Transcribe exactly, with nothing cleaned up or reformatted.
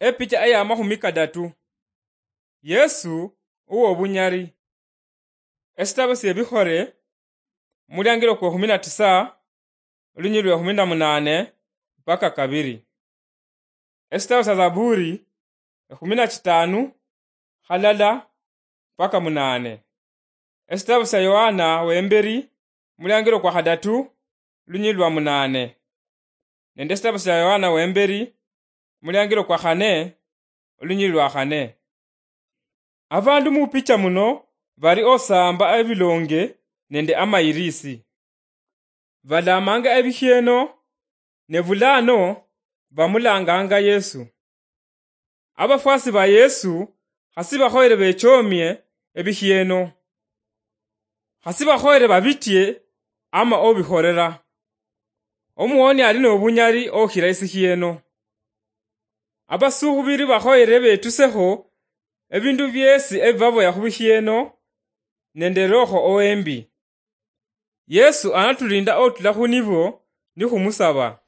Epicha eya makhumi kadatu. Yesu uwobunyali. Esitabo siebikhole, muliangilo kwa ekhumi na tisa, lunyili lwa ekhumi na munane mpaka kabili. Esitabo sia Zaburi, ekhumi na chitanu, halala mpaka munane. Esitabo sia Yohana wembeli, muliangilo kwa khadatu, lunyili lwa munane. Nende esitabo sia Yohana wembeli, muliangilo kwa khane, olunyili lwa khane. Abandu mupicha muno bali osamba ebilonge nende amayirisi. Balamanga ebikhieno, ne bulano bamulanganga Yesu. Abafwasi ba Yesu khasi bakhoyere bechomie ebikhieno. Khasi bakhoyere babitie ama obikholera. Omuwoni ali nobunyali okhira esikhieno. Abasukhubiri bakhoyere betusekho ebindu biesi ebibaboya khubikhieno nende Roho owembi. Yesu anatulinda otula khunibo nikhumusaba.